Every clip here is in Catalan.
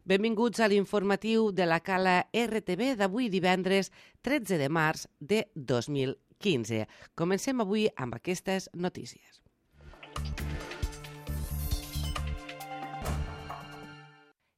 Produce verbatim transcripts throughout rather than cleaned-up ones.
Benvinguts a l'informatiu de la Cala R T V d'avui divendres tretze de març de dos mil quinze. Comencem avui amb aquestes notícies.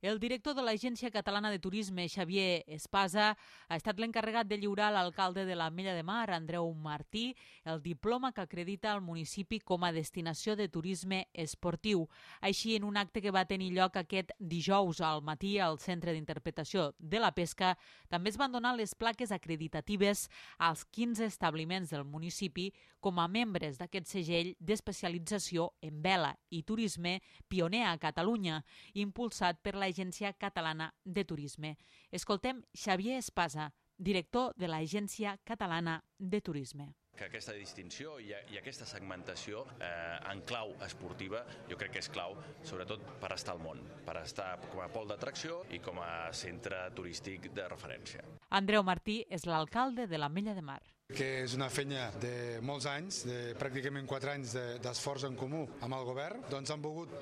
El director de l'Agència Catalana de Turisme, Xavier Espasa, ha estat l'encarregat de lliurar a l'alcalde de l'Ametlla de Mar, Andreu Martí, el diploma que acredita el municipi com a destinació de turisme esportiu. Així, en un acte que va tenir lloc aquest dijous al matí al Centre d'Interpretació de la Pesca, també es van donar les plaques acreditatives als quinze establiments del municipi com a membres d'aquest segell d'especialització en vela i turisme pioner a Catalunya, impulsat per la Agència Catalana de Turisme. Escoltem Xavier Espasa, director de l'Agència Catalana de Turisme. Que aquesta distinció i, i aquesta segmentació eh, en clau esportiva jo crec que és clau, sobretot per estar al món, per estar com a pol d'atracció i com a centre turístic de referència. Andreu Martí és l'alcalde de l'Ametlla de Mar. Que és una feina de molts anys, de pràcticament quatre anys d'esforç en comú amb el govern, doncs han volgut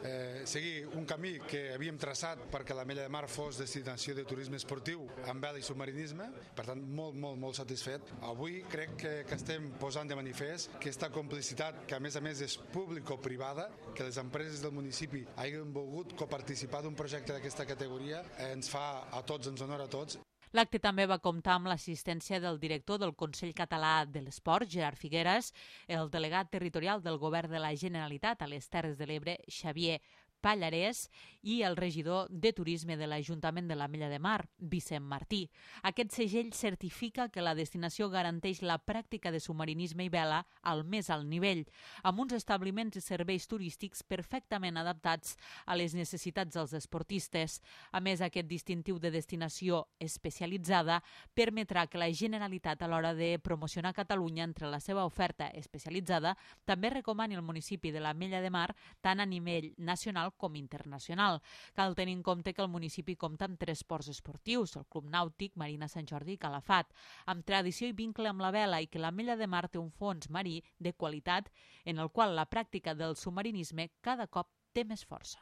eh, seguir un camí que havíem traçat perquè l'Ametlla de Mar fos destinació de turisme esportiu amb vela i submarinisme, per tant molt, molt, molt satisfet. Avui crec que, que estem posant de manifest que aquesta complicitat, que a més a més és público-privada, que les empreses del municipi hagin volgut coparticipar d'un projecte d'aquesta categoria, eh, ens fa a tots, ens honora a tots. L'acte també va comptar amb l'assistència del director del Consell Català de l'Esport, Gerard Figueres, el delegat territorial del Govern de la Generalitat a les Terres de l'Ebre, Xavier Pallarès, i el regidor de Turisme de l'Ajuntament de l'Ametlla de Mar, Vicent Martí. Aquest segell certifica que la destinació garanteix la pràctica de submarinisme i vela al més alt nivell, amb uns establiments i serveis turístics perfectament adaptats a les necessitats dels esportistes. A més, aquest distintiu de destinació especialitzada permetrà que la Generalitat, a l'hora de promocionar Catalunya entre la seva oferta especialitzada, també recomani el municipi de l'Ametlla de Mar tant a nivell nacional com internacional. Cal tenir en compte que el municipi compta amb tres ports esportius, el Club Nàutic, Marina Sant Jordi i Calafat, amb tradició i vincle amb la vela, i que l'Ametlla de Mar té un fons marí de qualitat en el qual la pràctica del submarinisme cada cop té més força.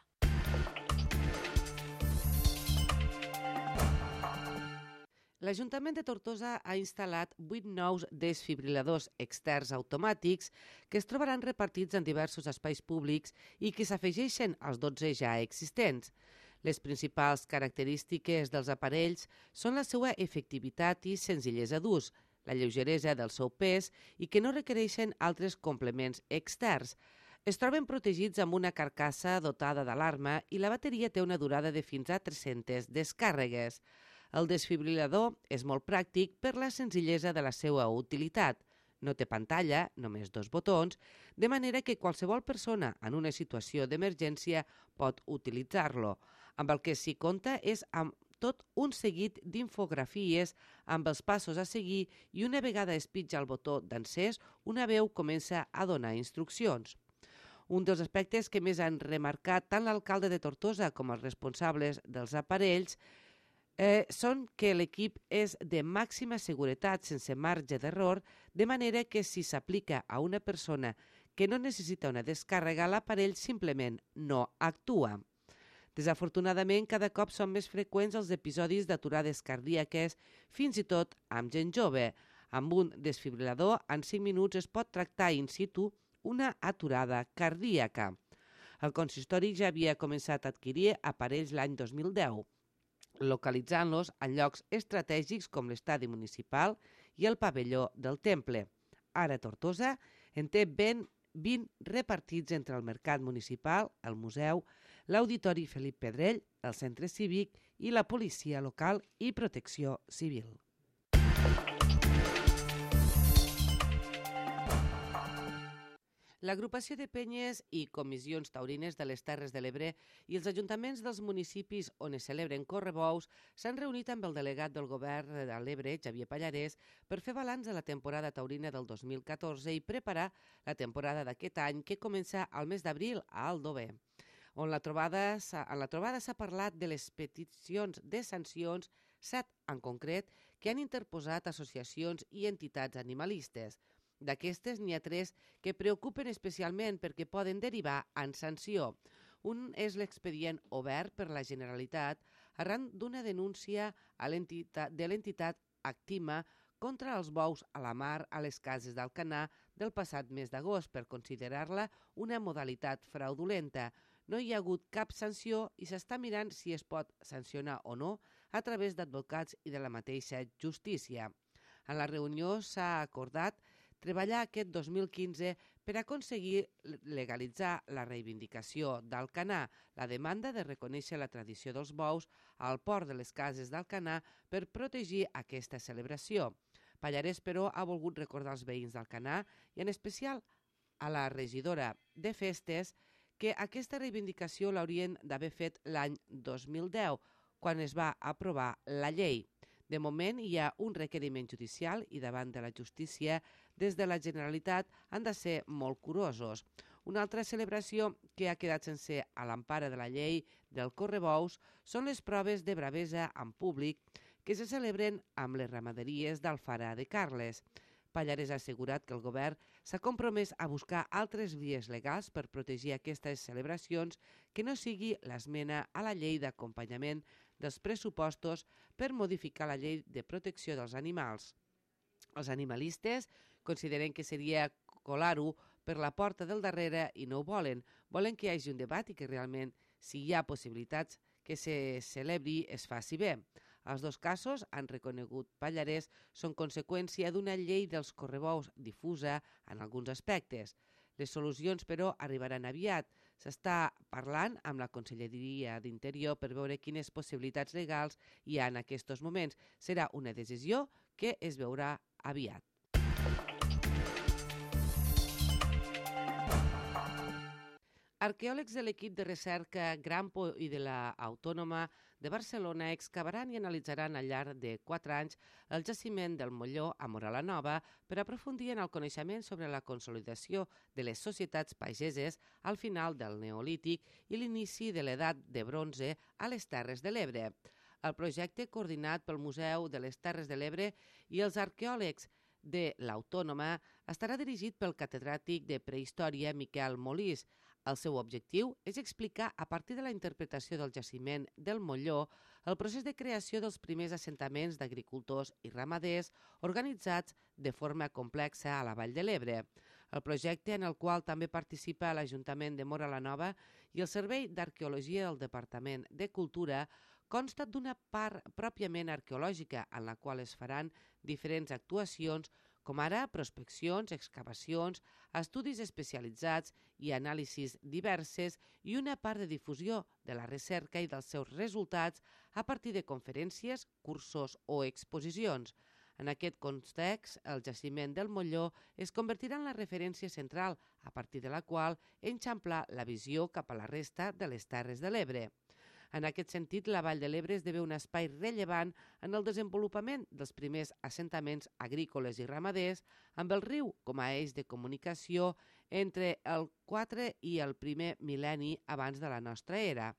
L'Ajuntament de Tortosa ha instal·lat vuit nous desfibriladors externs automàtics que es trobaran repartits en diversos espais públics i que s'afegeixen als dotze ja existents. Les principals característiques dels aparells són la seva efectivitat i senzillesa d'ús, la lleugeresa del seu pes i que no requereixen altres complements externs. Es troben protegits amb una carcassa dotada d'alarma i la bateria té una durada de fins a tres-centes descàrregues. El desfibrilador és molt pràctic per la senzillesa de la seva utilitat. No té pantalla, només dos botons, de manera que qualsevol persona en una situació d'emergència pot utilitzar-lo. Amb el que s'hi compta és amb tot un seguit d'infografies amb els passos a seguir i una vegada es pitja el botó d'encès, una veu comença a donar instruccions. Un dels aspectes que més han remarcat tant l'alcalde de Tortosa com els responsables dels aparells Eh, són que l'equip és de màxima seguretat sense marge d'error, de manera que si s'aplica a una persona que no necessita una descàrrega, l'aparell simplement no actua. Desafortunadament, cada cop són més freqüents els episodis d'aturades cardíaques, fins i tot amb gent jove. Amb un desfibrilador, en cinc minuts es pot tractar in situ una aturada cardíaca. El consistori ja havia començat a adquirir aparells l'any dos mil deu. Localitzant-los en llocs estratègics com l'estadi municipal i el pavelló del Temple. Ara Tortosa en té ben vint repartits entre el mercat municipal, el museu, l'auditori Felip Pedrell, el centre cívic i la policia local i protecció civil. L'agrupació de penyes i comissions taurines de les Terres de l'Ebre i els ajuntaments dels municipis on es celebren correbous s'han reunit amb el delegat del govern de l'Ebre, Xavier Pallarès, per fer balanç de la temporada taurina del dos mil catorze i preparar la temporada d'aquest any que comença al mes d'abril a Aldover. On la trobada, en la trobada s'ha parlat de les peticions de sancions, set en concret, que han interposat associacions i entitats animalistes. D'aquestes n'hi ha tres que preocupen especialment perquè poden derivar en sanció. Un és l'expedient obert per la Generalitat arran d'una denúncia a l'entitat de l'entitat Actima contra els bous a la mar a les cases d'Alcanar del passat mes d'agost per considerar-la una modalitat fraudulenta. No hi ha hagut cap sanció i s'està mirant si es pot sancionar o no a través d'advocats i de la mateixa justícia. En la reunió s'ha acordat treballar aquest dos mil quinze per aconseguir legalitzar la reivindicació d'Alcanar, la demanda de reconèixer la tradició dels bous al port de les cases d'Alcanar per protegir aquesta celebració. Pallarès, però, ha volgut recordar als veïns d'Alcanar i en especial a la regidora de Festes que aquesta reivindicació l'haurien d'haver fet l'any dos mil deu, quan es va aprovar la llei. De moment hi ha un requeriment judicial i davant de la justícia des de la Generalitat han de ser molt curosos. Una altra celebració que ha quedat sense a l'empara de la llei del correbous són les proves de bravesa en públic que se celebren amb les ramaderies d'Alfara de Carles. Pallarès ha assegurat que el govern s'ha compromès a buscar altres vies legals per protegir aquestes celebracions que no sigui l'esmena a la llei d'acompanyament dels pressupostos per modificar la llei de protecció dels animals. Els animalistes consideren que seria colar-ho per la porta del darrere i no ho volen. Volen que hi hagi un debat i que realment, si hi ha possibilitats que se celebri, es faci bé. Els dos casos, han reconegut Pallarès, són conseqüència d'una llei dels correbous difusa en alguns aspectes. Les solucions, però, arribaran aviat. S'està parlant amb la Conselleria d'Interior per veure quines possibilitats legals hi ha en aquests moments. Serà una decisió que es veurà aviat. Arqueòlegs de l'equip de recerca Grampo i de l'Autònoma de Barcelona excavaran i analitzaran al llarg de quatre anys el jaciment del Molló a Móra la Nova per aprofundir en el coneixement sobre la consolidació de les societats pageses al final del Neolític i l'inici de l'edat de bronze a les Terres de l'Ebre. El projecte, coordinat pel Museu de les Terres de l'Ebre i els arqueòlegs de l'Autònoma, estarà dirigit pel catedràtic de Prehistòria Miquel Molís. El seu objectiu és explicar, a partir de la interpretació del jaciment del Molló, el procés de creació dels primers assentaments d'agricultors i ramaders organitzats de forma complexa a la Vall de l'Ebre. El projecte, en el qual també participa l'Ajuntament de Móra la Nova i el Servei d'Arqueologia del Departament de Cultura, consta d'una part pròpiament arqueològica en la qual es faran diferents actuacions, com ara prospeccions, excavacions, estudis especialitzats i anàlisis diverses i una part de difusió de la recerca i dels seus resultats a partir de conferències, cursos o exposicions. En aquest context, el jaciment del Molló es convertirà en la referència central, a partir de la qual enxamplar la visió cap a la resta de les Terres de l'Ebre. En aquest sentit, la Vall de l'Ebre esdevé un espai rellevant en el desenvolupament dels primers assentaments agrícoles i ramaders, amb el riu com a eix de comunicació entre el quatre i el primer mil·lenni abans de la nostra era.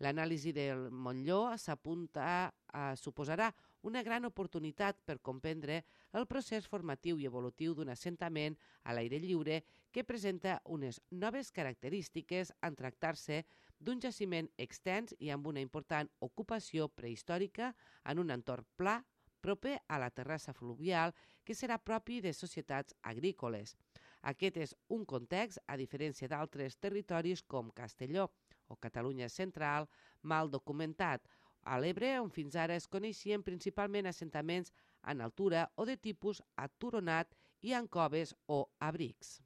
L'anàlisi del Molló s'apunta a suposarà una gran oportunitat per comprendre el procés formatiu i evolutiu d'un assentament a l'aire lliure que presenta unes noves característiques en tractar-se d'un jaciment extens i amb una important ocupació prehistòrica en un entorn pla proper a la terrassa fluvial que serà propi de societats agrícoles. Aquest és un context, a diferència d'altres territoris com Castelló o Catalunya Central, mal documentat, a l'Ebre, on fins ara es coneixien principalment assentaments en altura o de tipus aturonat i en coves o abrics.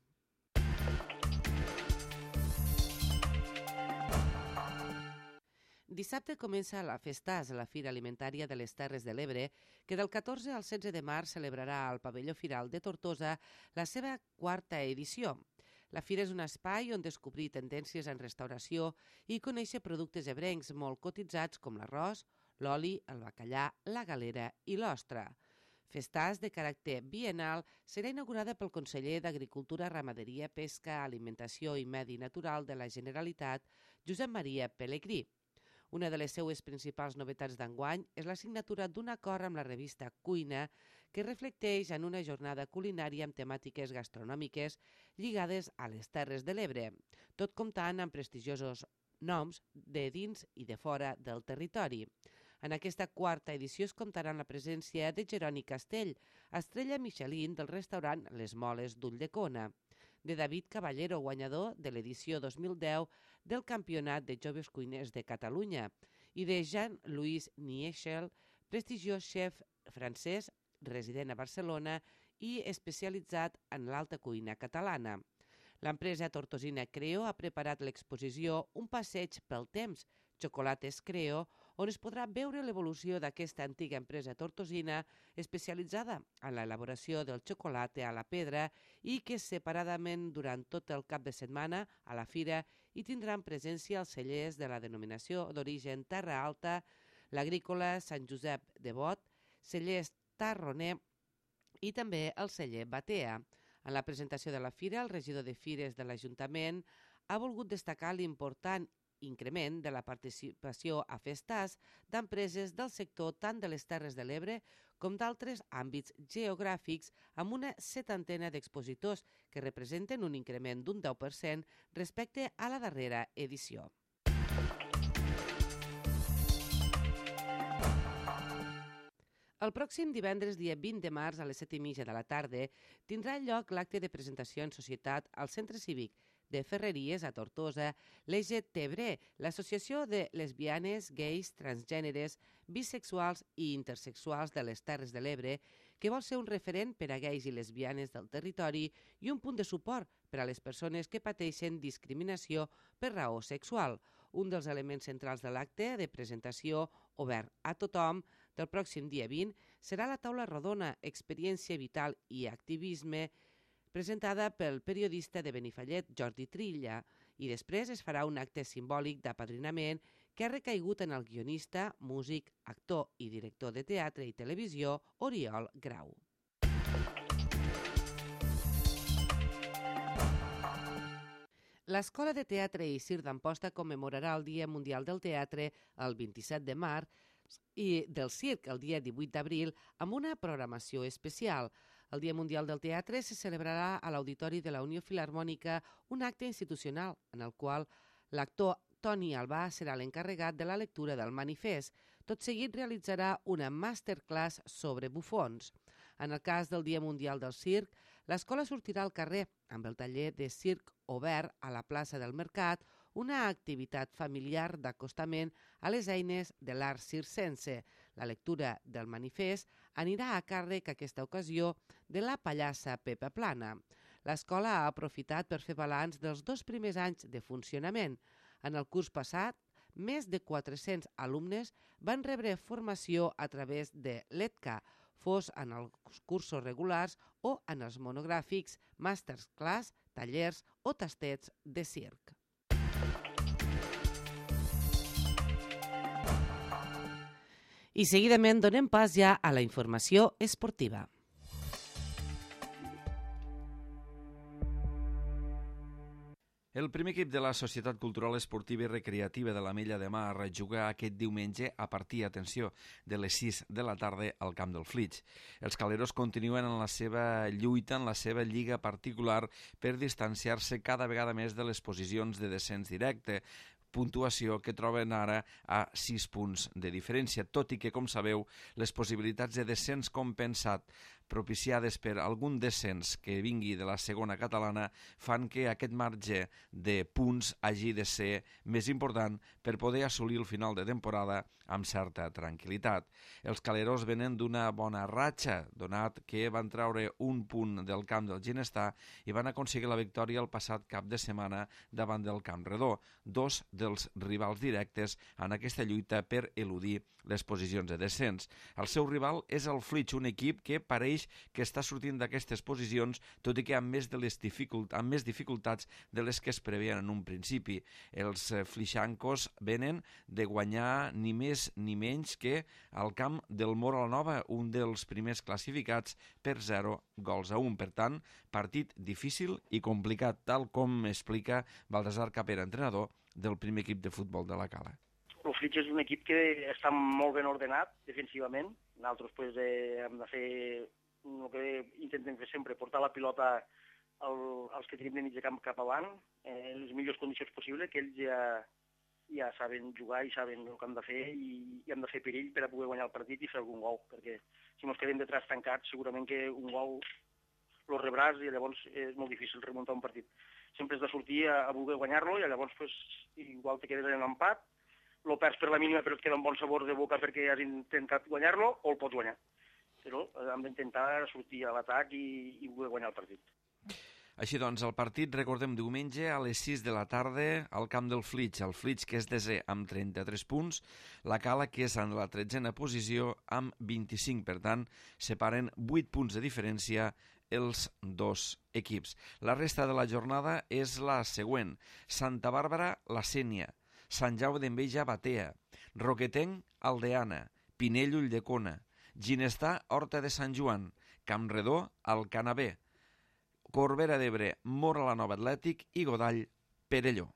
Dissabte comença la Festàs, la Fira Alimentària de les Terres de l'Ebre, que del catorze al setze de març celebrarà al Pavelló Firal de Tortosa la seva quarta edició. La fira és un espai on descobrir tendències en restauració i conèixer productes ebrencs molt cotitzats com l'arròs, l'oli, el bacallà, la galera i l'ostra. Festàs de caràcter biennal serà inaugurada pel conseller d'Agricultura, Ramaderia, Pesca, Alimentació i Medi Natural de la Generalitat, Josep Maria Pelegrí. Una de les seues principals novetats d'enguany és la signatura d'un acord amb la revista Cuina que reflecteix en una jornada culinària amb temàtiques gastronòmiques lligades a les Terres de l'Ebre, tot comptant amb prestigiosos noms de dins i de fora del territori. En aquesta quarta edició es comptarà amb la presència de Jeroni Castell, estrella Michelin del restaurant Les Moles d'Ulldecona, de David Caballero, guanyador de l'edició dos mil deu del Campionat de Joves Cuiners de Catalunya, i de Jean-Louis Niechel, prestigiós xef francès, resident a Barcelona i especialitzat en l'alta cuina catalana. L'empresa tortosina Creo ha preparat l'exposició Un passeig pel temps, Xocolates Creo, on es podrà veure l'evolució d'aquesta antiga empresa tortosina especialitzada en l'elaboració del xocolate a la pedra i que separadament durant tot el cap de setmana a la fira hi tindran presència els cellers de la denominació d'origen Terra Alta, l'agrícola Sant Josep de Bot, cellers Tarroner i també el celler Batea. En la presentació de la fira, el regidor de Fires de l'Ajuntament ha volgut destacar l'important increment de la participació a festars d'empreses del sector tant de les Terres de l'Ebre com d'altres àmbits geogràfics amb una setantena d'expositors que representen un increment d'un deu per cent respecte a la darrera edició. El pròxim divendres, dia vint de març, a les set i mitja de la tarda, tindrà lloc l'acte de presentació en societat al Centre Cívic de Ferreries a Tortosa, l'E G T B R E, l'Associació de Lesbianes, Gais, Transgèneres, Bisexuals i Intersexuals de les Terres de l'Ebre, que vol ser un referent per a gais i lesbianes del territori i un punt de suport per a les persones que pateixen discriminació per raó sexual. Un dels elements centrals de l'acte de presentació, obert a tothom, del pròxim dia vint, serà la taula rodona Experiència Vital i Activisme, presentada pel periodista de Benifallet, Jordi Trilla, i després es farà un acte simbòlic d'apadrinament que ha recaigut en el guionista, músic, actor i director de teatre i televisió, Oriol Grau. L'Escola de Teatre i Circ d'Amposta commemorarà el Dia Mundial del Teatre el vint-i-set de març i del Circ el dia divuit d'abril amb una programació especial. El Dia Mundial del Teatre se celebrarà a l'Auditori de la Unió Filharmònica un acte institucional en el qual l'actor Toni Albà serà l'encarregat de la lectura del manifest. Tot seguit realitzarà una masterclass sobre bufons. En el cas del Dia Mundial del Circ, l'escola sortirà al carrer amb el taller de circ obert a la plaça del Mercat, una activitat familiar d'acostament a les eines de l'art circense. La lectura del manifest anirà a càrrec aquesta ocasió de la pallassa Pepa Plana. L'escola ha aprofitat per fer balanç dels dos primers anys de funcionament. En el curs passat, més de quatre-cents alumnes van rebre formació a través de l'E T C A, fos en els cursos regulars o en els monogràfics, masterclass, tallers o tastets de circ. I seguidament donem pas ja a la informació esportiva. El primer equip de la Societat Cultural Esportiva i Recreativa de l'Ametlla de Mar juga aquest diumenge a partir, atenció, de les sis de la tarda al camp del Flix. Els caleros continuen en la seva lluita, en la seva lliga particular, per distanciar-se cada vegada més de les posicions de descens directe, puntuació que troben ara a sis punts de diferència, tot i que, com sabeu, les possibilitats de descens compensat propiciades per algun descens que vingui de la segona catalana fan que aquest marge de punts hagi de ser més important per poder assolir el final de temporada amb certa tranquil·litat. Els caleros venen d'una bona ratxa, donat que van treure un punt del camp del Ginestar i van aconseguir la victòria el passat cap de setmana davant del Camp Redó, dos dels rivals directes en aquesta lluita per eludir les posicions de descens. El seu rival és el Flix, un equip que pareix que està sortint d'aquestes posicions, tot i que amb més, de les dificult, amb més dificultats de les que es preveien en un principi. Els flixancos venen de guanyar ni més ni menys que al camp del Móra la Nova, un dels primers classificats, per zero gols a un. Per tant, partit difícil i complicat, tal com explica Baltasar Capera, entrenador del primer equip de futbol de la Cala. El Flix és un equip que està molt ben ordenat defensivament. Nosaltres pues, eh, hem de fer el que intentem fer sempre, portar la pilota al, als que tenim de mig de camp cap avant, eh, en les millors condicions possibles, que ells ja, ja saben jugar i saben el que han de fer i, i han de fer perill per a poder guanyar el partit i fer algun gol, perquè si ens quedem detrás tancats segurament que un gol lo rebràs i llavors és molt difícil remuntar un partit. Sempre has de sortir a, a voler guanyar-lo i llavors pues, igual te quedes en empat, lo perds per la mínima però et queda un bon sabor de boca perquè has intentat guanyar-lo o el pots guanyar. Però hem d'intentar sortir a l'atac i, i voler guanyar el partit. Així doncs, el partit, recordem, diumenge a les sis de la tarda al camp del Flix. El Flix, que és desè amb trenta-tres punts, la Cala, que és en la tretzena posició, amb vint-i-cinc. Per tant, separen vuit punts de diferència els dos equips. La resta de la jornada és la següent. Santa Bàrbara, la Sénia. Sant Jaume d'Enveja, Batea. Roquetenc, Aldeana. Pinell, Ulldecona. Ginestar, Horta de Sant Joan. Campredó, Alcanavè. Corbera d'Ebre, Móra la Nova Atlètic i Godall, Perelló.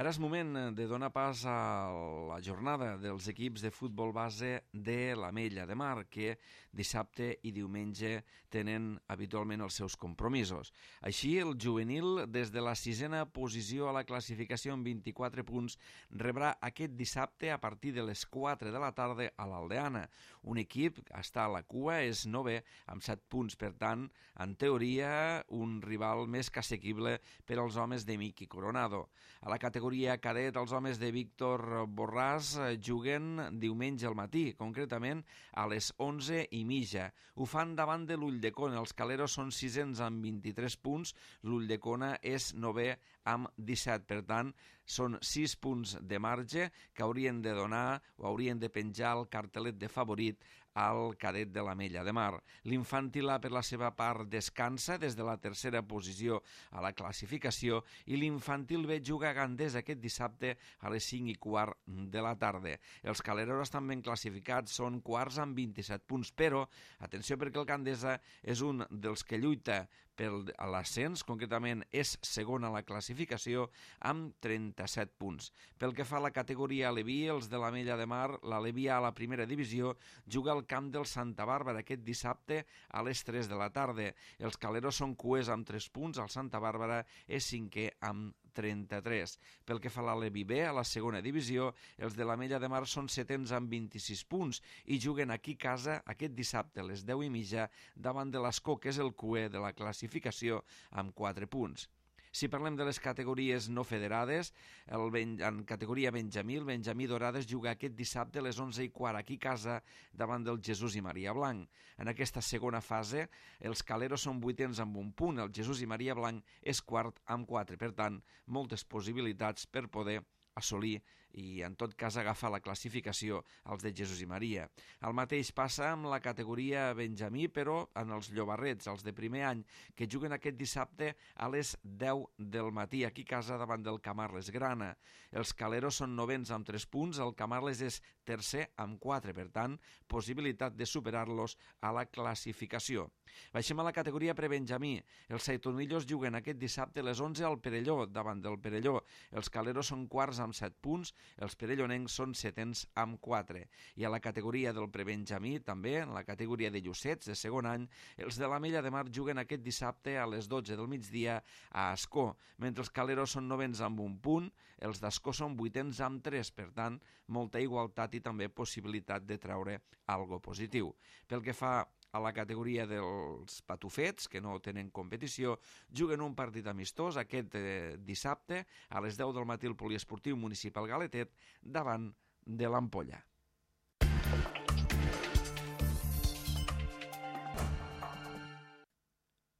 Ara és moment de donar pas a la jornada dels equips de futbol base de l'Ametlla de Mar, que dissabte i diumenge tenen habitualment els seus compromisos. Així, el juvenil, des de la sisena posició a la classificació amb vint-i-quatre punts, rebrà aquest dissabte a partir de les quatre de la tarda a l'Aldeana. Un equip que està a la cua, és novè, amb set punts. Per tant, en teoria, un rival més que assequible per als homes de Miqui Coronado. A la categoria cadet, els homes de Víctor Borràs juguen diumenge al matí, concretament a les onze i mitja. Ho fan davant de l'Ulldecona. Els caleros són sisens amb vint-i-tres punts, l'Ulldecona és novè amb disset. Per tant, són sis punts de marge que haurien de donar o haurien de penjar el cartelet de favorit al cadet de l'Ametlla de Mar. L'infantil A, per la seva part, descansa des de la tercera posició a la classificació i l'infantil B juga a Gandés aquest dissabte a les cinc i quart de la tarda. Els caleros estan ben classificats, són quarts amb vint-i-set punts, però, atenció perquè el Gandesa és un dels que lluita per l'ascens, concretament és segon a la classificació amb trenta-set punts. Pel que fa a la categoria Aleví, els de l'Ametlla de Mar, l'Aleví A a la primera divisió, juga al camp del Santa Bàrbara aquest dissabte a les tres de la tarda. Els caleros són cuers amb tres punts, el Santa Bàrbara és cinquè amb trenta-tres. Pel que fa a l'Aleví B, a la segona divisió, els de l'Ametlla de Mar són setens amb vint-i-sis punts i juguen aquí a casa aquest dissabte a les deu i mitja davant de l'Escó, que és el cuer de la classificació, amb quatre punts. Si parlem de les categories no federades, el ben, en categoria Benjamí, el Benjamí Dorades juga aquest dissabte a les onze i quart aquí a casa davant del Jesús i Maria Blanc. En aquesta segona fase, els caleros són vuitens amb un punt, el Jesús i Maria Blanc és quart amb quatre. Per tant, moltes possibilitats per poder assolir i en tot cas agafar la classificació als de Jesús i Maria. El mateix passa amb la categoria Benjamí, però en els llobarrets, els de primer any, que juguen aquest dissabte a les deu del matí, aquí a casa davant del Camarles Grana. Els caleros són novens amb tres punts, el Camarles és tercer amb quatre, per tant, possibilitat de superar-los a la classificació. Baixem a la categoria prebenjamí. Els saitonillos juguen aquest dissabte a les onze al Perelló, davant del Perelló. Els caleros són quarts amb set punts, els perellonencs són setens amb quatre. I a la categoria del prebenjamí, també, en la categoria de llucets de segon any, els de l'Ametlla de Mar juguen aquest dissabte a les dotze del migdia a Ascó, mentre els caleros són novens amb un punt, els d'Ascó són vuitens amb tres, per tant, molta igualtat i també possibilitat de treure algo positiu. Pel que fa a la categoria dels patufets, que no tenen competició, juguen un partit amistós aquest eh, dissabte a les deu del matí al Poliesportiu Municipal Galetet davant de l'Ampolla.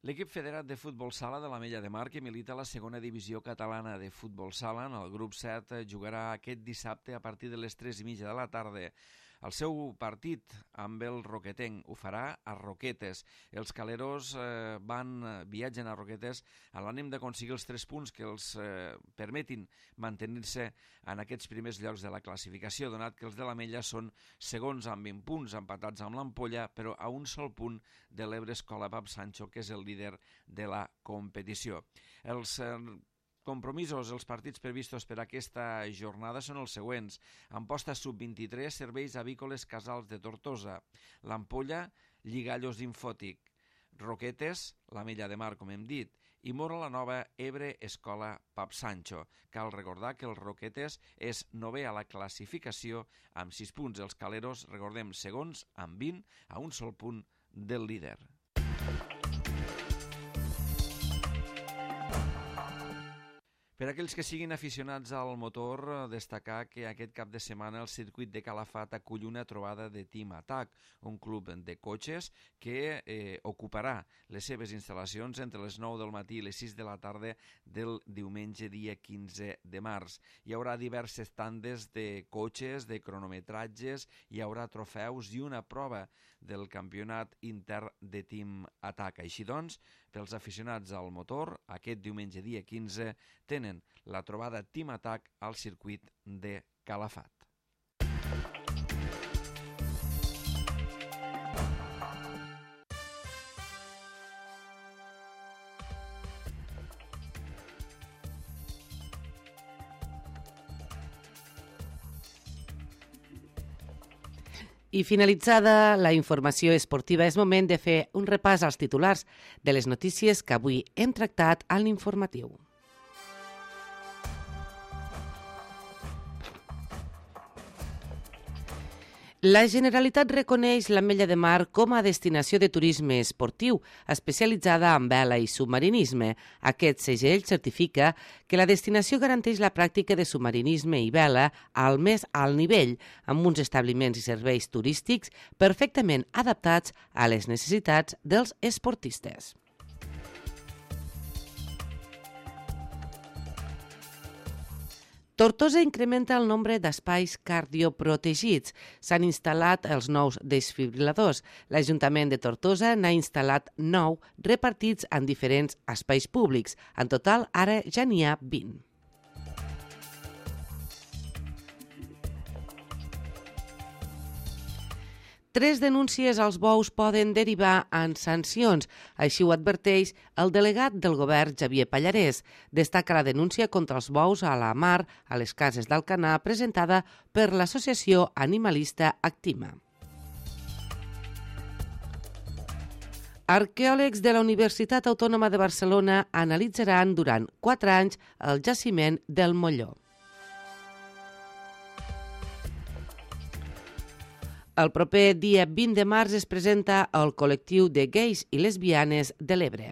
L'equip federat de futbol sala de l'Ametlla de Mar, que milita a la segona divisió catalana de futbol sala, en el grup set, jugarà aquest dissabte a partir de les tres i mitja de la tarda. El seu partit amb el Roquetenc ho farà a Roquetes. Els caleros eh, van, viatgen a Roquetes a l'ànim d'aconseguir els tres punts que els eh, permetin mantenir-se en aquests primers llocs de la classificació, donat que els de l'Ametlla són segons amb vint punts, empatats amb l'Ampolla, però a un sol punt de l'Ebre Escola Pap Sancho, que és el líder de la competició. Els eh, compromisos, els partits previstos per aquesta jornada són els següents. Amposta sub vint-i-tres, Serveis Avícoles Casals de Tortosa. L'Ampolla, Lligallos Infòtic. Roquetes, l'Ametlla de Mar, com hem dit. i Mora la Nova, Ebre, Escola, Pap Sancho. Cal recordar que els Roquetes és novè a la classificació amb sis punts. Els Caleros, recordem, segons amb vint, a un sol punt del líder. Per aquells que siguin aficionats al motor, destacar que aquest cap de setmana el circuit de Calafat acull una trobada de Team Attack, un club de cotxes que eh, ocuparà les seves instal·lacions entre les nou del matí i les sis de la tarda del diumenge dia quinze de març. Hi haurà diverses tandes de cotxes, de cronometratges, hi haurà trofeus i una prova del campionat intern de Team Attack. Així doncs, pels aficionats al motor, aquest diumenge dia quinze tenen la trobada Team Attack al circuit de Calafat. I finalitzada la informació esportiva, és moment de fer un repàs als titulars de les notícies que avui hem tractat a l'informatiu. La Generalitat reconeix l'Ametlla de Mar com a destinació de turisme esportiu especialitzada en vela i submarinisme. Aquest segell certifica que la destinació garanteix la pràctica de submarinisme i vela al més alt nivell, amb uns establiments i serveis turístics perfectament adaptats a les necessitats dels esportistes. Tortosa incrementa el nombre d'espais cardioprotegits. S'han instal·lat els nous desfibriladors. L'Ajuntament de Tortosa n'ha instal·lat nou repartits en diferents espais públics. En total, ara ja n'hi ha vint. Tres denúncies als bous poden derivar en sancions. Així ho adverteix el delegat del govern, Xavier Pallarès. Destaca la denúncia contra els bous a la mar a les cases d'Alcanar presentada per l'associació animalista Actima. Arqueòlegs de la Universitat Autònoma de Barcelona analitzaran durant quatre anys el jaciment del Molló. El proper dia vint de març es presenta el col·lectiu de gais i lesbianes de l'Ebre.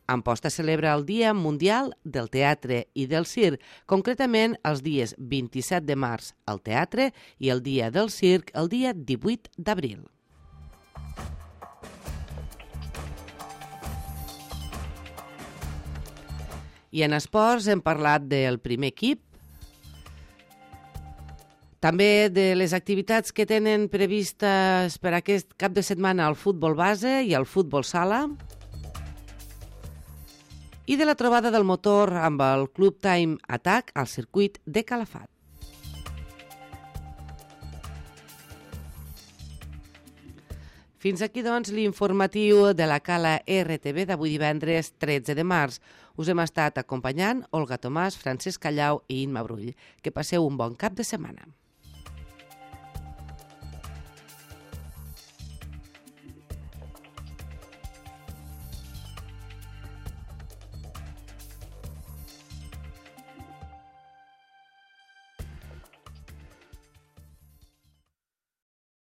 Amposta celebra el Dia Mundial del Teatre i del Circ, concretament els dies vint-i-set de març al teatre i el Dia del Circ el dia divuit d'abril. I en esports hem parlat del primer equip, també de les activitats que tenen previstes per aquest cap de setmana al futbol base i al futbol sala i de la trobada del motor amb el Club Team Attack al circuit de Calafat. Fins aquí, doncs, l'informatiu de la Cala R T V d'avui divendres tretze de març. Us hem estat acompanyant Olga Tomàs, Francesc Callau i Imma Brull. Que passeu un bon cap de setmana.